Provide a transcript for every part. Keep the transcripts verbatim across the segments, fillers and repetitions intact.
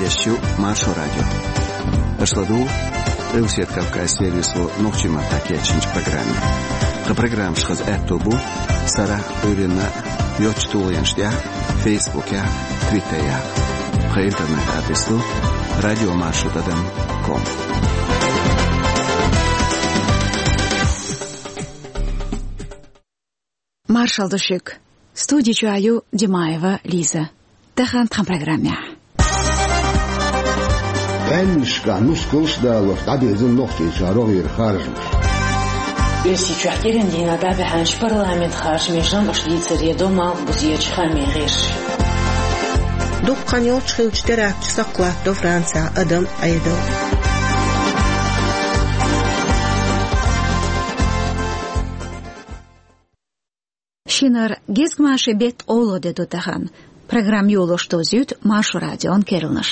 Шо Маршо радио. Аша ладугӀу Къилбаседа Кавказан сервисо нохчийн маттахь кечйинчу программе. Тхан программаш хаза аьтто бу сарахь а, Ӏуьйранна а йоцчу тулгӀенаш тӀехь а, Фейсбукехь а, Твиттерехь а. Тхан интернет-адрес ду радио маршо тӀадам ком. Маршалла ду шуьга. Студи чохь ю Димаева Лиза. Тахана тхан программехь. БӀеннашкахь нускалш а далош дӀабирзина Нохчийчохь рогӀера харжамаш. Оьрсийчохь кӀиран дийнахь дӀабаьхьначу парламентан харжамийн жамӀаш дийцаре до малхбузерчу хаамийн гӀирсаша. Дукха хан йолуш хиллачу теракташ сакхалаттадо Францехь адам Ӏедал. Шинара гезгмашин беттан олалла де ду тахана. Программа йолош дозуьйту Маршо радион керланаш.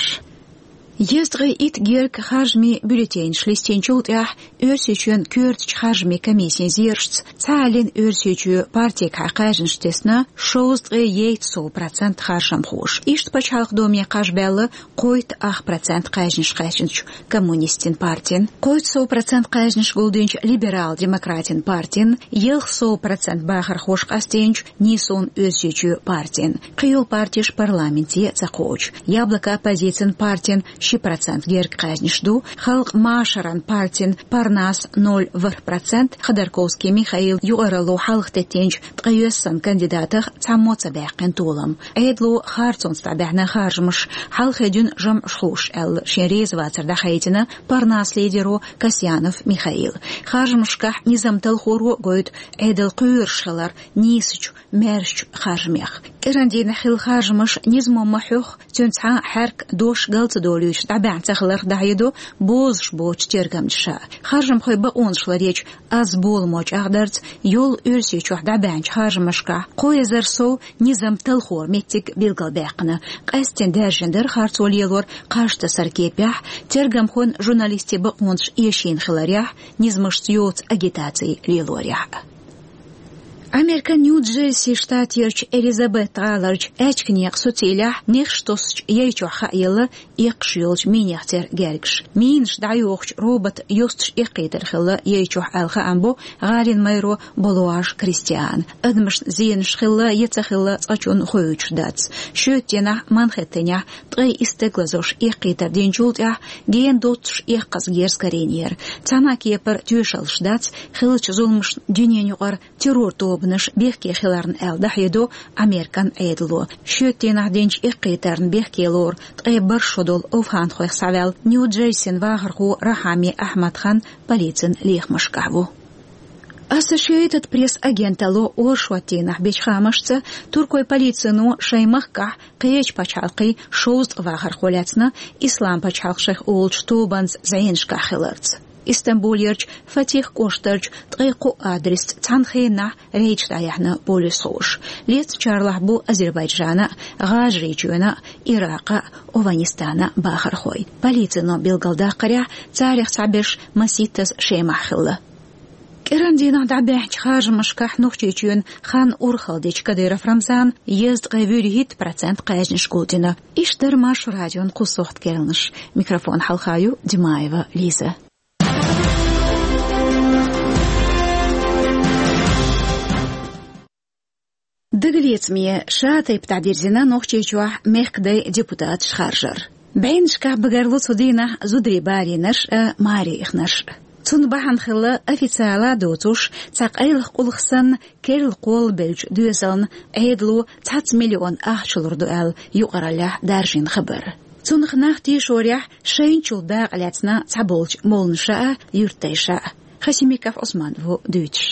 Езткъе итт гергга харжамийн бюллетенаш листинчул тӀаьхьа Оьрсийчоьнан коьртачу харжамийн комиссин зерашца цхьааллин Оьрсийчоь партигахьа кхаьжнаш тесна шовзткъе ейтта сов процент харжамхоша. Иштта Пачхьалкхан Думе кхаж баьлла кхойтта ах процент кхаьжнаш кхаьчначу Коммунистийн партин. Кхойтта сов процент кхаьжнаш гулдинчу Либерал-демократийн партин, ялх сов процент бахархоша къастийначу Нийсонан Оьрсийчоь партин. Кхин йолу партеш парламенте ца кхочу. Яблоко оппозицин партин ши процент гергга кхаьжнаш ду, Халкъан машаран партин Парнас ноль ворхӀ процент, Ходорковский Михаил юкъаралло хьалха теттинчу ткъе йоьссана кандидатах цхьаммо ца баьккхина толам. Ӏедало харцонца дӀабаьхьна харжамаш, хьалхе дуьйна жамӀаш хууш аьлла, шен резавацар дӀахаийтина Парнас лидеро Касьянов Михаила. Харжамашкахь низам талхоро гойту Ӏедал кхоьруш хилар нийсачу, маьршачу харжамех. КӀиран дийнахь хилла харжамаш низамо ма хьоьху, цуьнан цхьа а хьаьрк, дош гал ца долуьйтуш дӀабаьхьна ца хиларх дӀахьедо бозуш боцчу тергамчаша. Харжамхойн бакъонаш ларъечу аз боламо чӀагӀдарца, йолу Оьрсийчохь дӀабаьхьначу харжамашкахь кхо эзар сов низам талхоран меттиг билгалбаьккхина. Къаьсттина даьржина дара харцо лелор кхаж тасар кепехь, тергамхойн, журналистийн бакъонаш эшийна хиларехь, низамашца йоцу агитаци лелорехь. Американ Нью-Джерси штатерчу Элизабет-гӀаларчу аьчка некъан суцилехь нехаш тосучу яй чохь хаелла эккхаш йолчу минех церан гергарш. Минаш дӀайохучу роботан йосташ эккхийтар хилла яй чохь аьлла хаам бо гӀалин майро Болуаш Кристиана. Адамашна зенаш хилла я ца хилла цкъачунна хоуьйтуш дац. Шоьтан дийнахь Манхэттенехь ткъе исс стаг лазош эккхийтар динчул тӀаьхьа гена доццуш эккхаза герз карийнера. Цхьана а кепара тоьшаллаш дац, хиллачу зуламашна дуьненаюкъара террор тобанаш бехке хиларна аьлла дӀахьедо Американ Ӏедало. Шоьтан дийнахь динчу эккхийтарна бехке лору ткъе бархӀ шо долу овхӀанхойх схьаваьлла Нью-Джерсин вахархо Рахьами Ахьмад-хан полицин лехамашкахь ву. Associated Press агенталло оршот дийнахь бечу хаамашца, туркойн полицино шайн махкахь кхечу пачхьалкхийн шовзткъа вахархо лаьцна, Ислам пачхьалкх шайх олучу тобанца зӀенашкахь хиларца. Истамбулерчу Фатих кӀоштарчу ткъе кхо адресца цхьана хенахь рейдаш дӀаяьхьна полисхоша. Лецначарлахь бу Азербайджана а, ГӀажарийчоьнан а, Иракъан а, Овханистанан а бахархой. Полицино билгалдаккхарехь, царех цхьаберш маситтаза Шемахь хилла. КӀиран дийнахь дӀабаьхьначу харжамашкахь Нохчийчоьнан хан урхалла дечу Кадыров Рамзана езткъе вуьрхӀитта процент кхаьжнаш гулдина. Иштта дара Маршо радион кху сохьта керланаш. Микрофон хьалха ю Димаева Лиза. Дагалецаме ша тайпа дӀадирзина Нохчийчохь мехкадай депутаташ харжар. БӀеннашкахь багарло цу дийнахь зударий барийнарш а, маре ихнарш а. Цунна бахьана хилла официала доцуш, цхьа къайлаха къулах санна, керла кхоллабеллачу доьзална Ӏедало цхьацца миллион ахча лур ду аьлла, юкъараллехь даржийна хабар. Цунах нах тешорехь, шайначул дакъа лаьцна цхьаболчу молланаша а, юьртдайша а. Хасимиков Ӏусман ву дуьйцуш.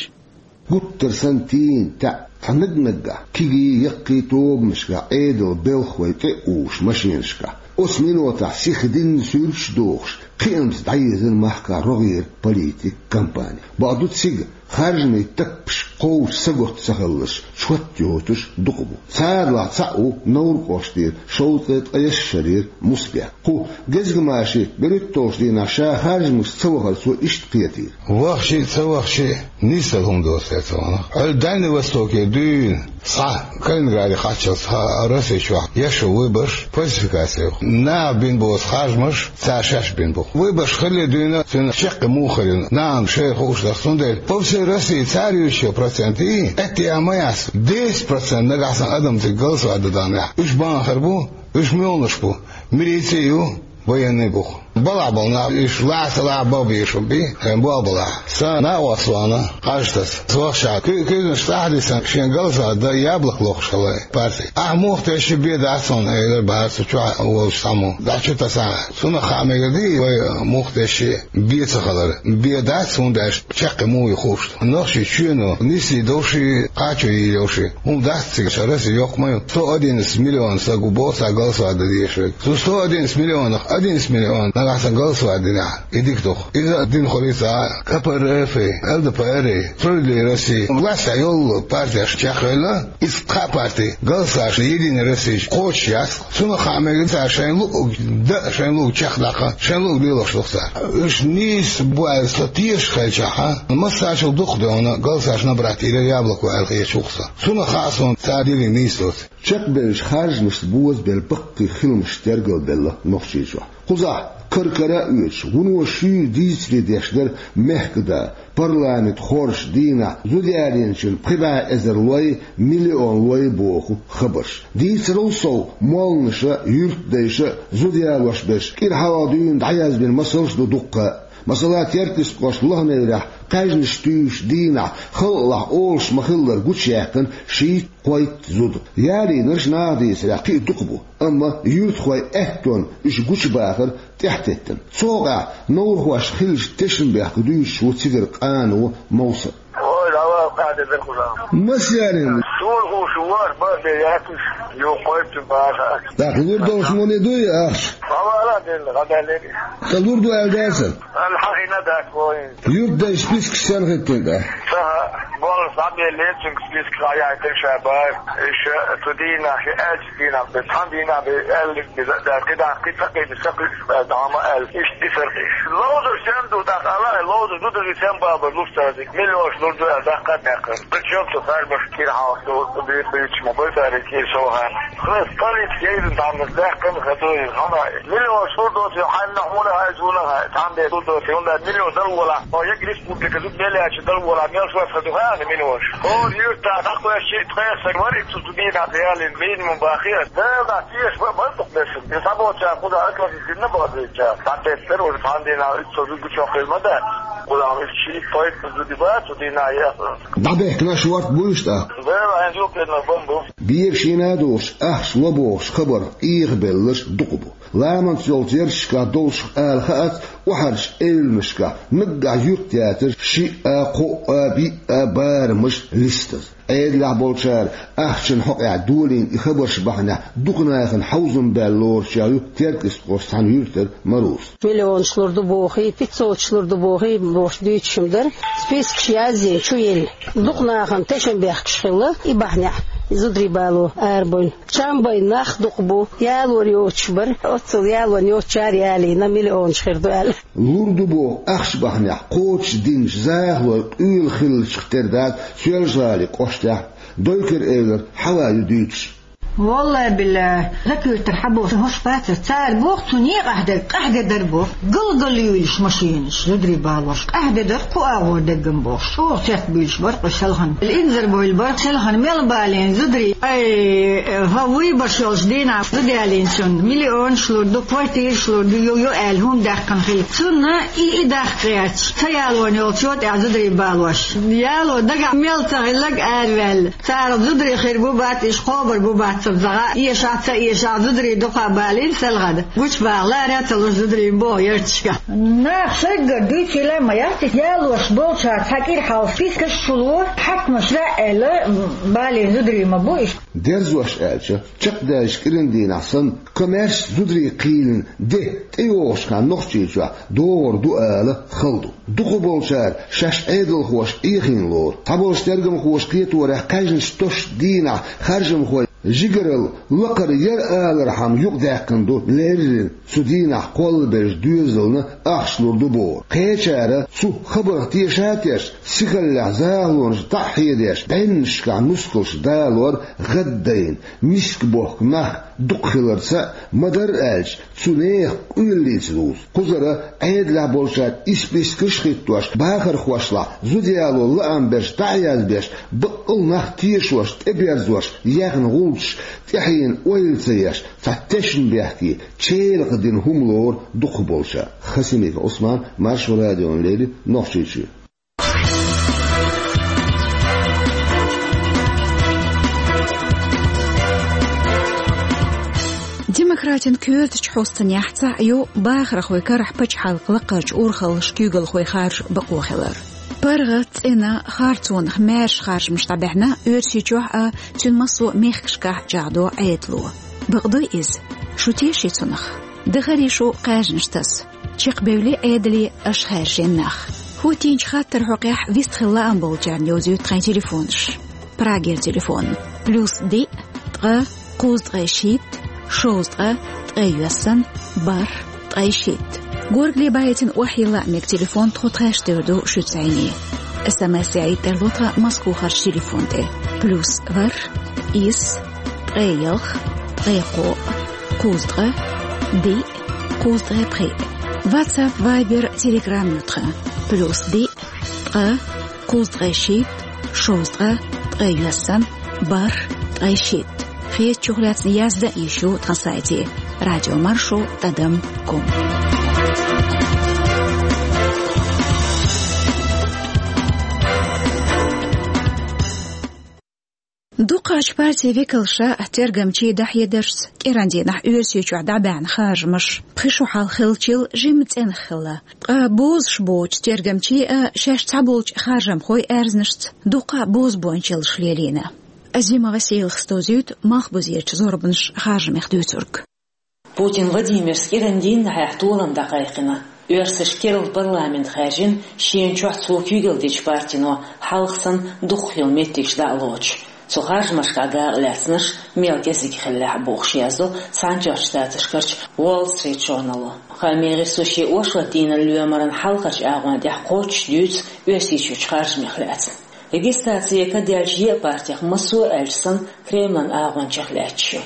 Гуттар санна тийна таьӀ цхьа наг-наггахь, кегий, яккхий тобанашкахь Ӏедалан белхалой тӀе а увуш машенашкахь. Оцу минотахь сиха динна суьрташ а дохуш, кхиамца дӀаезира махкахь рогӀера политикан кампани. Бакъду, цига харжамийн таппаш Кховча саготта ца хилалаш, чот йоцуш дукха бу. Царах цхьаъ ву Невран кӀоштера шовзткъе ткъаесна шарера Мусабек. Кху гезгамашин берхӀитталгӀачу дийнахь ша харжамашка ца вахар цо иштта кхетийра. Вахча а, ца вахча а, нийсса хӀума доцу те ца вахна. Хьо Дальний Востокера дуьйна схьа, Калининграде кхаччалц схьа Росси чохь еш ву выбораш, фальсификаци ю. Наха бина боцу харжамаш цара шаьш бина бу. Выбораш хилале дуьйна цуьнан чаккхе муха хир ю, нахана шайна хууш дац. Цундела по всей России цара юьйцучу процентийн, аьтто ма яц, десять процент нагахь санна адам цига голосовать дан дахнехь, уьш бахархой бу, уьш муьлханаш бу, милици а ю, военный а бу. Балхахь болу нах, уьш лаца лаца бан безаш бу, хьайн болх балахь. Сан накъост вахана, къажтас, вахча, куьйгаш тӀаьхьа дисина, шен голосовать дан яблоко лохуш хилла парти. Ахь муха тешча бен дац хьуна, элира бахара цу чохь волчу цхьаммо, дӀа чу тасахь. Цунах хаа мегар ду вай муха тешча бен ца хилар. Бен дац, хӀунда аьлча чаккхе муха ю хууш ду. Нохчийчоьнан чоьно нислуш йолуш, кхачо йийр йолуш хӀума дац цига, ша Росси йоккха ма ю. Сто одиннадцать миллион стаг ву боху цхьа голосовать дан дезаш верг. Цу сто одиннадцать миллионах одиннадцать миллион нагахь санна голосовать динехь, и дика ду-кх. Иза дина хуьлу цхьа КПРФ-и, ЛДПР-и, Справедливая Россия, властехь йолу партеш чекхвелла, иза кхаа парти, голосовать Единая Россия кхочуш яц. Цунах хаа мегар ду цара шайн луъург дан, шайн луъург чекхдаккха, шайн луъург лелош ду-кх цара. Уьш нийса бу аьлла сан тешаш хилчахь, массарел дукха догӀна голосовать набрать йийр яблоко аьлла хеташ ву-кх сан. Цунах хаа суна цара динарг нийса доций. Чекхбевллачу харжамашца бозабелла баккхий хиламаш тергалбелла Нохчийчохь. Кхузахь кара-кара а оьцуш, вуно шуьйра дийцаре деш дара мехкан да, парламент хоржучу дийнахь зуда ялийначун пхи бӀе эзар лой, миллион лой боху хабарш. Дийцарал сов, молланаша, юьртдайша зуда ялош берш кӀира хьалха дуьйна дӀаязбина масалш а ду дуккха а. Масала, Теркйистан кӀоштан Лаханеврехь кхаьжнаш туьйсучу дийнахь халкъалахь олуш ма-хиллара гучуяьккхина шийтта-кхойтта зуда. Ялийнарш, наха дийцарехь, кхин а дукха бу, амма юьртахойн аьттонна уьш гучубахар тӀаьхьатеттина. Цу хьокъехь неврахошна хиллачу тешнабехках дуьйцуш ву цигара къано Мовсар. Ой, давай, кхаьдина дерг хӀума. Маса ялийна? Суна хууш ву, бан бен яц уьш, юха кхойтта баха. ТӀаккха лур долуш муьлха ду и ахча? Ма вала делла, гӀа даьллера. ТӀаккха лур ду аьлла дацара? Аьлла хьахийна дац вайн. Юьртдайшна спискаш сенна хӀиттина тӀаккха? Ца хаьа, боллуш дӀабеллера цуьнга списка, хьаяийтина ша бара. Иштта цу дийнахь ши аьлча дийнахь бен, цхьана дийнахь бен аьлларг бен, кхидӀа кхин ца кхийдира, ца кхуьуш бен, дӀа ма аьлла. Иштта дисара кхин. Ловзарш сенна ду, тӀаккха ала, ловзар зударий сенна бабар луш цаьрзиг, миллионаш лур ду аьлла, даккха а даьккхира. Причём цу харжамашка кӀира хьалха ду, бийр буьйцуш ма бу цара кӀира совгӀатна. Хьан столица гейзина цхьамма даьккхина хазуй, хьуна миллионаш лур доций, хьанна хьуна хьайза вуна хьай, цхьамма бен лур доций, хӀунда миллион дала волахь, хьо егга республика зуда мел яьлча дала волахь, мел шоьца хаза ду хьуна миллионаш. ХӀора юьртахь дӀакхоьссича, ткъех стаг вара и цу, цу дийнахь ялийна, минимум бахийра. Дала дӀа теша бан, бан дукха бесса. И цхьаболчара кхузахь атлантик дина бахийча, дӀатеттара уже цхьана дийнахь уьттазза гучохь хила ма дац. Кхузахь уьш шийтта-кхойтта зуда бац цу дийнахь яхна. ДӀабехкина шорта буй уьш тӀаккха? Дала хьайн зулкъенна бан бу. Бегаш йина а долуш, ахча ло бохуш хабар къехабелларш дукха бу. Ламанца йолчу ярташкахь долчух ала хаац, охьарчу эвланашкахь наггахь юьрт яцара шиъ а, кхоъ а, биъ а барамаш листаза. Ӏедалехь болчара ахчанан хьокъехь долийна и хабарш бахьанехь дукха нахана хьовзам баьлла лоручех ю Теркйистан кӀоштан цхьана юьртара Маруса. Миллионаш лур ду бохий, пятьсоташ лур ду бохий, бохуш дуьйцуш-м дара. Спискаш язйина, чу елла. Дукха нахана тешнабехкаш хилла, и бахьанехь зударий бало арабевлла. Чам бен нах дукха бу, ялор йоцуш бара, оццул ялорна йоцучара ялийна, миллионаш хир ду аьлла. Лур ду боху ахча бахьанехь кхочуш динчу захалой къуьйла хиллачух тера дац Соьлжа-ГӀалин кӀоштехь, Дойкар-Эвлара Хьава ю дуьйцуш. Валлай-биллай, закуьртара хьан боху, хӀорш бацара, цара боху, цу некъахь дерг къахьде дара боху. Галгал юьйлуш машинаш, зударий балош, къахьде дара кху агӀор деггам бохуш. ЧӀогӀа цецбуьйлуш бара кху селхана. Инзарбевлла бара селхана мел балийна зударий. Ай, хӀа вуй баш йолчу дийнахь зуда ялийначунна миллионаш лур ду, квартираш лур ду, йо, йо аьлла хӀума даьккхина хилла. Цунна и, и даккха гӀерташ, ца ялорна йолчо тӀехь зударий балош. Яло дагахь мел ца хилларг араваьлла. Царах зударий хир бу бац, иштта кхобур бу бац. Цу загӀа эшаца, эша зударий дукха балийна селгӀада. Гучбаха лара ца луш зударий боху ярташка. Нах шайггара дуьйцийла ма яц, ялош болчара цхьа кӀира хьалха спискаш чуло, хьаькамаш лаьа аьлла, балийна зударий ма бу иштта. Дерзош аьлча, чекхдаьллачу кӀиран дийнахь санна, коммерчески зударий кхийлина де тӀейогӀучу хенахь Нохчийчохь догӀур ду ала хала ду. Дукхахболчара шаьш Ӏедалхоша Ӏехийна лору. Цхьаболчу тергамхоша кхеторехь, кхаьжначу тосучу дийнахь харжамхой жигаралла лакхара яра алархьама юкъадаьккхина ду леррина цу дийнахь кхоллабеллачу доьзална ахча лур ду бохург. Кхечара цу хабарх теша а тешна, сихаллехь захалонаш дӀа а хьедеш, бӀеннашкахь нускалш далор гӀаддайна, миска бохку нах дукха хиларца а, ма-дарра аьлча, цу нехан къоьллица дузу. Кхузара Ӏедалехь болчара и спискаш а хӀиттош, бахархошлахь зуда яло лаам берш дӀа а язбеш, баккъал нах тешош, тӀеберзош яьхна гӀулчаш тӀаьхьенна ойла ца еш, цхьа тешнабехке, чӀогӀа дина хӀума лору дукхахболчара. Хасимиков Ӏусман, Маршо радиона леррина, Нохчийчоь. Демократийн коьртачу хьосташкахь цхьаъ ю бахархойн карахь пачхьалкхан лакхарчу урхаллаша куьйгалхой харжа бакъо хилар. ПаргӀат, цӀена, харцонах маьрша харжамаш дӀабаьхьна Оьрсийчохь а, цуьнан массо а мехкашкахь а чӀагӀдо Ӏедало. Бакъ дуй иза? Шу теший цунах? Дахарий шу кхаьжнаш таса? Чекхбевллий Ӏедале аша хаьржина нах? ХӀоттийначу хаттаран хьокъехь вистхила лаам болчарна йовзуьйту тхайн телефонаш. Прагера телефон: плюс диъ, ткъа, кхузткъе шийтта, шовзткъа, ткъе йоьссана, бархӀ, ткъе шийтта. Горгали байтина охьайилла а мега телефон тхо тхаьш девр ду шуьца зӀене. СМС яийта тарло тхан Москвахарчу телефон тӀе: плюс ворхӀ, исс, ткъе ялх, ткъе кхоъ, кхузткъа, диъ, кхузткъе пхиъ. WhatsApp, Viber, Telegram ю тхан: плюс диъ, ткъа, кхузткъе шийтта, шовзткъа, ткъе йоьссана, бархӀ, ткъе шийтта. Хетачух лаьцна яздан а йиш ю тхан сайте: радиомаршо тӀадам ком. Дукхачу партийн векалша тергамчийн дӀахьедаршца, кӀиран дийнахь Оьрсийчохь дӀабаьхьна харжамаш пхи шо хьалха хиллачул жимма цӀенах хилла. Ткъа бозуш боцчу тергамчийн а, шаьш цхьаболчу харжамхойн а аьрзнашца дуккха а бозбуунчаллаш лелийна. Азима Василас дӀадовзуьйту малхбузерчу зорбанаш харжамех дуьйцург. Путин Владимира кӀиран дийнахьехь толам дӀакхайкхина. Оьрсашка керла парламент хаьржина, шена чохь цо куьйгалла дечу партино хьалха санна дукха хилла меттигаш дӀа а лоцуш. Цу харжамашкахь дакъа лаьцнарш мел кӀезиг хиллехь а, бохуш яздо Цхьаьнатоьхначу Штаташкарчу Wall Street Journal-о. Хаамийн гӀирсо шен оршот дийнан лоьмаран хьалхарчу агӀон тӀехь кхоччуш дуьйцу Оьрсийчуьрчу харжамех лаьцна. Регистраци яка даьллачу еа партех массо а, аьлча санна, Кремлан агӀончех лаьтташ ю.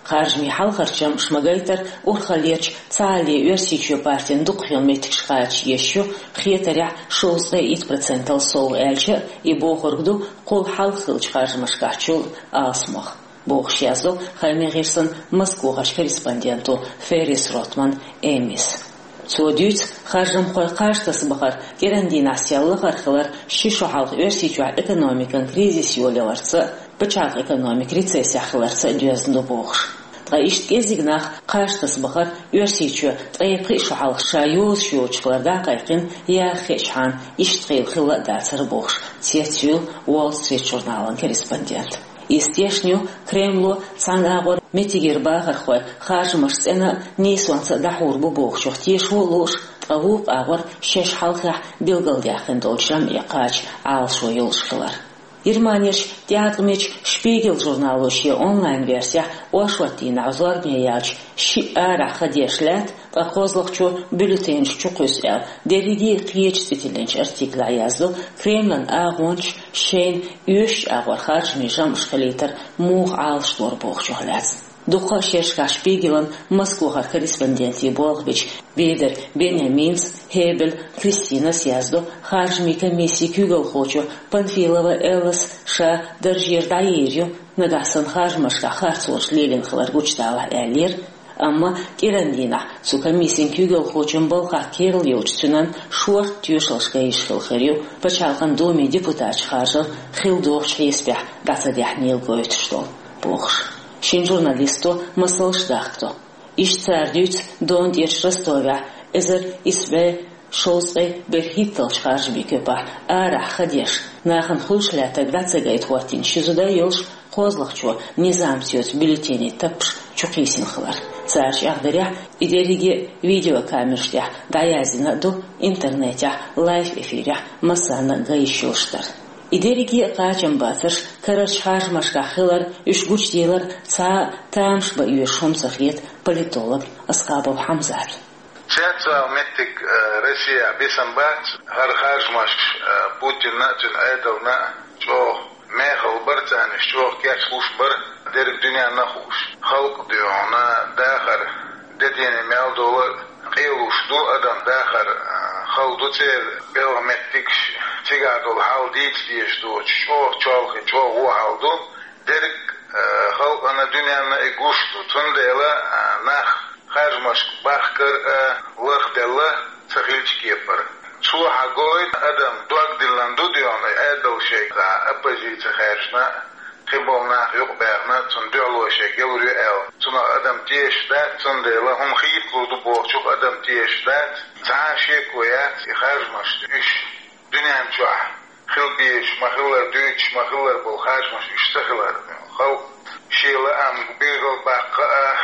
Харжамийн хьалхарчу жамӀаша ма-гайтара, урхаллерчу Цхьаалле Оьрсийчоь партин дукха хилла меттигаш кхача езаш ю, хетарехь, шовзткъе итт процентал сов, аьлча а, и бохург ду кхул хьалха хиллачу харжамашкахьчул алсамох, бохуш яздо Хаамийн гӀирсан Москвахарчу корреспонденто Феррис Ротман Эмис. Цо дуьйцу, харжамхой кхаж тасабахар кӀиран дийнахь сел лахара хилар ши шо хьалха Оьрсийчохь экономикан кризис йолаяларца а, пачхьалкхан экономика рецессехь хиларца а доьзна ду, бохуш. Ткъа иштта кӀеззиг нах кхаж тасабахар Оьрсийчоь ткъе пхи шо хьалха ша йозуш йоцуш хилар дӀакхайкхина, яха хиъчхьана, иштта хилла хилла а дацара, бохуш, цецйуьйлу Wall Street журналан корреспондент. Иза тешна ю Кремло цхьана агӀор меттигера бахархой харжамаш цӀена а, нийсонца а дӀахьур бу бохучух тешо а лууш, ткъа вукху агӀор шаьш хьалхехь билгалдаьккхина долчу жамӀе кхача Ӏалашо йолуш хилар. Германерчу тӀеӀаткъамечу Шпигел журнало шен онлайн-версехь оршот дийнахь зорбане яьлча шиъ арахь хан деш лаьтта, ткъа кхозлагӀчо бюллетенаш чу кхуьссу аьлла, дерриге а кхечу цӀе тиллинчу артиклехь яздо Кремлан агӀончаша шайна оьшучу агӀор харжамийн жамӀаш хилийтар муха Ӏалашдора бохучух лаьцна. Дукха а шерашкахь Шпигелан Москвахара корреспондентийн болх бича Бедер Беньяминас, Хебель Кристинас яздо харжамийн комиссин куьйгалхочо Панфилова Эллас ша даржера дӀайийр ю, нагахь санна харжамашкахь харцонаш лелийна хилар гучудалахь, аьллера. Амма кӀиран дийнахь цу комиссин куьйгалхочун балхах керла йолчу цуьнан шорта тоьшаллаш гайта хилла хир ю, Пачхьалкхан Думин депутаташ харжар хилла дохучу хьесапехь дӀа ца даьхьнийла гойтуш долу, бохуш. Шин журналисто масалш дахкадо. Иштта цара дуьйцу Дон тӀерачу Ростовехь эзар исс бӀе шовзткъе берхӀитталгӀачу харжамийн коьпахь арахь ха деш, нахана хуьлуш лаьттарг дӀа ца гайта хӀоттийна ши зуда йолуш кхозлагӀчо низамца йоцу бюллетенийн таппаш чукхийсина хилар. Цара чӀагӀдарехь, и дерриге а видеокамераш тӀехь дӀаяздина а ду, интернетехь лайв-эфирехь массарна а ган йиш йолуш дара. И дерриге а кхачамбацарш карарчу харжамашкахь хилар, уьш гучуделар цхьа а тамаш бан оьшуш хӀума ца хета политолог Аскъабов Хьамзата. Цецвала меттиг, э, Россехь бисам бац, хӀара харжамаш, э, Путинна а, цуьнан Ӏедална а чӀогӀа мехала бара царна, уьш чӀогӀа кечлуш бара, дерриг дуьненна а хууш. Халкъ дуьйхьуна дахар, де дийне мел долу къелуш ду, адам дахар, а, хала ду церан белхан меттигаш, цигахь долу хьал дийца дезаш доцуш, чӀогӀа чолхе, чӀогӀа вон хьал ду. Дерриг, а, халкъана, дуьненна и гуш ду, цундела, а, нах харжамашка бахкар а лахделла ца хилча кепара. Цо хьан гойту адам дог диллина ду дуьйхьуна, и Ӏедал шайга оппозици хаьржина, кхин болу нах юкъабаьхна, цунна дуьхьало шайга ялур ю аьлла. Цунах адам тешаш дац, цундела хӀума хийталур ду бохучух адам тешаш дац. Цхьа а шеко яц, и харжамаш уьш дуьнен чохь хила безаш ма-хиллара, дуьйцуш ма-хиллара болу харжамаш уьш ца хилар. Халкъ шен лаам билгалбаккха а,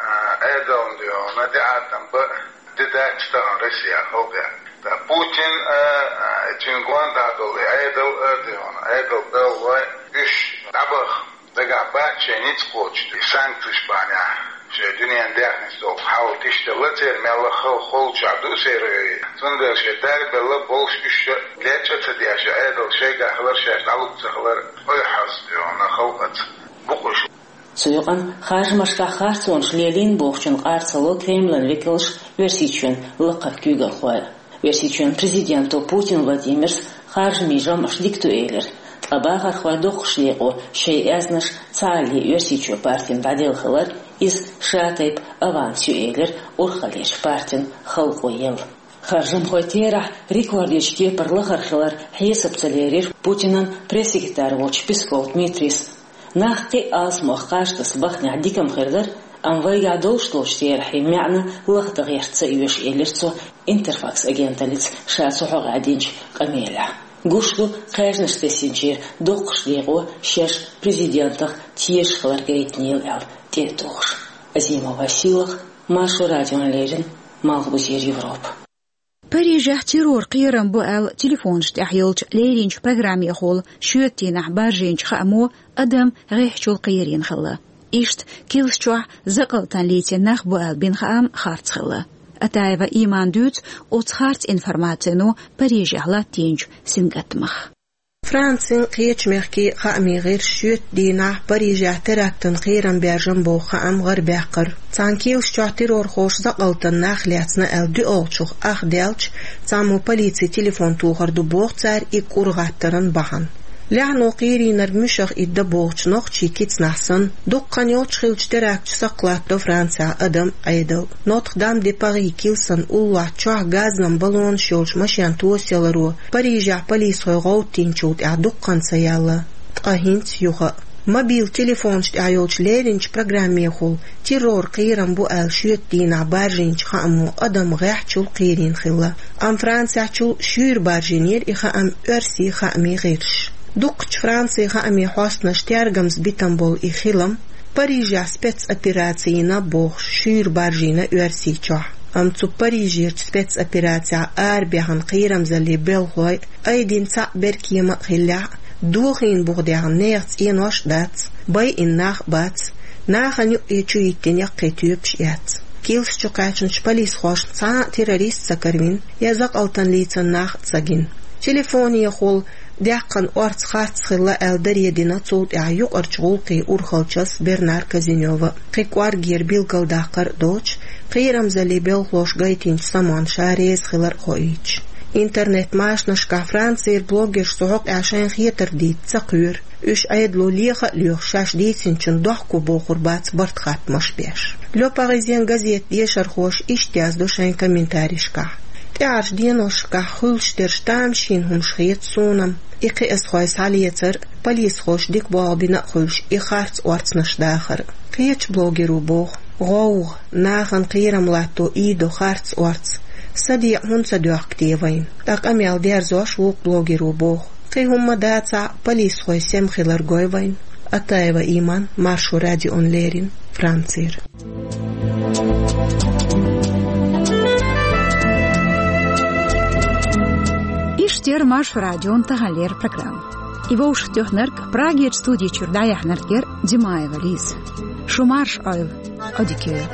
а, Ӏедална дуьйхьуна тӀеӀаткъам бан а де дац тахана Россехь халкъехь. Ткъа Путин а, а, цуьнан гондахь долу и Ӏедал а дуьйхьуна, Ӏедал белхалой, уьш дӀабаха дагахь бац шайн ницкъ кхочуш, и санкцеш бахьанехь шайн дуьненан даьхнис долу хьал тиштелла церан, мелла а хала холчохь ду церан. Цундела шайн дарбелла болуш уьш а лечкъа а ца деш, Ӏедал шайгахь хилар, шаьш дӀалуш ца хилар ойхьаза дуьйхьуна халкъаца бу-кх уьш. Цу юкъана харжамашкахь харцонаш лелийна бохучун къар ца ло Кремлан векалш, Оьрсийчоьнан лакхара куьйгалхой. Оьрсийчоьнан президенто Путин Владимира харжамийн жамӀаш дика ду элира, ткъа бахархойн доккхачу декъо шайн аьзнаш цхьаалле Оьрсийчоь партина дӀаделла хилар, иза ша тайпа аванс ю элира урхаллерчу партина халкъо елла. Харжамхойн терахь рекордерчу кепара лахара хилар хьесап ца лерира Путинан пресс-секретарь волчу Песков Дмитрийс. Нах кхин а алсамох кхаж таса бахнехь дика-м хир дара, амма вайгахь долуш долчу терахьийн маьӀна лахдан гӀерта ца оьшу, элира цо Интерфакс агенталлица ша цу хьокъехь динчу къамелехь. Гуш ду, кхаьжнаш тесначеран доккхачу декъо шаьш президентах тешаш хилар гайтинера аьлла тӀе а тухуш. Азимова Сийлаха, Маршо радиона леррина, Малхбузера Европа. Парижехь террор кхерам бу аьлла телефонаш тӀехь йолчу леринчу программехула шоьтан дийнахь баржийначу хаамо адам гӀеххьачул кхерийна хилла. Иштта Килс чохь закъалтана лецна нах бу аьлла бина хаам харц хилла. Атаева Имана дуьйцу оцу харц информацино Парижехь латтийначу сингаттамах. Францин, кхечу мехкийн хаамийн гӀирсаша шоьтан дийнахь Парижехь терактан кхерам баьржина боху хаам гӀарабаьккхира. Цхьана Килс чохь террорхоша закъалтана нах лецна аьлла доьалгӀачух ах даьлча, цхьаммо полицин телефон тохур ду боху цара и кӀур гӀаттаран бахьана. Лаьхьано кхерийнарг муьшах итт дан бохучу нохчийн кицнахь санна, дукха хан йоццуш хиллачу теракташа сакхалаттадо Францехь адам а, Ӏедал а. Нотр-Дам-де-Пари килсан уллохь чохь газан баллонаш йолчу машен тосаяларо Парижехь полисхой гӀовттийначул тӀаьхьа дукха хан ца яьлла, ткъа хӀинца юха а. Мобил телефонаш тӀехь йолчу леринчу программехула террор кхерам бу аьлла шоьтан дийнахь баржийначу хаамо адам гӀеххьачул кхерийна хилла. Амма Францехь чул шуьйра баржийнера и хаам оьрсийн хаамийн гӀирсаша. Дукхачу Францин хаамийн хьостанаша тергамза битина болу и хилам Парижехь спецопераци йина бохуш шуьйра баржийна Оьрсийчохь. Амма цу Парижерчу спецоперацехь арабаьхна кхерамзаллин белхалой айдина цхьаъ беркема а хиллехь а, дохийна буха даьхна нехан цӀенош а дац, байина нах а бац, нахана юкъе чу йиттина яккхий тоьпаш а яц. Килс чу кхаьчначу полисхошна цхьа а террорист ца каравина, я закъалтана лецна нах а ца гина. Телефонехула даьккхина орца харц хилла аьлла даре дина цул тӀаьхьа юкъарчу гӀуллакхийн урхалчас Бернар Казинёва. Кхин кӀоргера билгалдаккхар а доцуш, кхерамзаллин белхалоша гайтинчу самонна ша реза хилар а хоуьйтуш. Интернет-машанашкахь Францера блогерша цу хьокъехь шайна хетар дийца ца кхоьру. Уьш Ӏедало леха а лоьхуш, шаьш дийцинчунна дохко бохур бац барт-хаттамаш а беш. Le Parisien газетан дешархоша иштта яздо шайн комментарийшкахь: «ТӀаьхьарчу деношкахь хуьлуш дерш тамашийна хӀумаш хета суна-м. И кхиазхой схьалецар, полисхоша дика болх бина а хуьлуш, и харц орцанаш дахар. Кхечу блогеро боху: «ГӀовгӀа, нахана кхерам латто ийдо харц орц. СадеӀа хӀунда ца доьхку те вайна?» Ткъа къамел дерзош вукху блогеро боху: «Кхин хӀумма дацахь а, полисхой сема хилар гой вайна». Атаева Иман, Маршо радиона леррина, Францера. Иштта яра Маршо радион таханлера программа. И вовшахтоьхнарг, Прагерчу студи чуьра дӀаяьхьнарг яра Димаева Лиза. Шу марша Ӏойла, Ӏодика йойла.